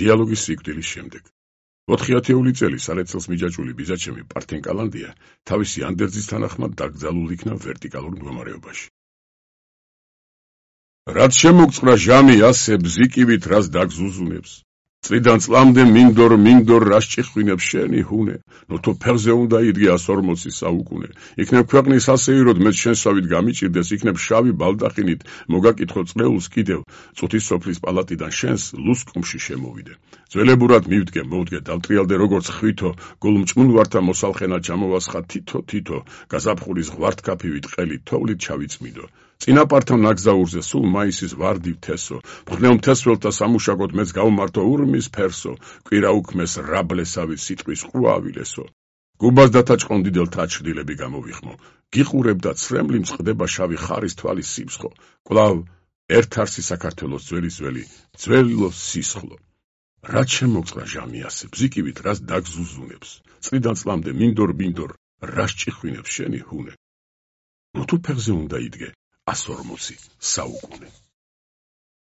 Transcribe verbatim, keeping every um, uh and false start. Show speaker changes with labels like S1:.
S1: დიალოგის სიკვდილის შემდეგ. ოთხი ათეული წელი სარეცელს მიჯაჭვული ბიძაჩემი პართენ კალანდია თავისი ანდერძის თანახმად დაკრძალულ იქნა ვერტიკალურ მდგომარეობაში. რაც შემოგწყდა ჟამი ასე ბზიკივით რას დაგზუზუნებს. წლიდან წლამდე მინდორ მინდორ რას ჭიხვინებს შენი ჰუნე, ნოთო ფეხზე უნდა იდგე ას ორმოცი საუკუნე, იქნებ ქვეყნის ასეიროდ მეც შენსავით გამიჭირდეს, იქნებ შავი ბალდახინით მოგაკითხო წლეულს კიდევ, წუთის სოფლის პალატიდან შენს ლუსკუმში შემოვიდე. ძველებურად მივდგე, მოვდგე, დავტრიალდე როგორც ხვითო, გულმჭმუნვართა მოსალხენად ჩამოვასხა თითო თითო, გაზაფხულის ღვართქაფივით ყელით თოვლით ჩავიწმიდო. წინაპართან ნაგზაურზე სულ მაისის ვარდი თესო, მხნელ მთესველთა სამუშაკოდ მეც გავმართო ურმის ფერსო, კვირა უქმეს რაბლესავით სიტყვის ყრუა ავილესო. გუბას დათაჭყონდიდელთა აჩრდილები გამოვიხმო, გიყურებდა ცრემლი მწყდება შავი ხარის თვალის სიფსხო, კვლავ ერთ არსი საქართველოს ძველი ძველი, ძველო სისხლო. რაც შემოგწყდა ჟამი ასე, ბზიკივით რას დაგზუზუნებს, წლიდან წლამდე მინდორ მინდორ რას ჭიხვინებს შენი ჰუნე, ნოთო ფეხზე უნდა იდგე ას ორმოცი საუკუნე.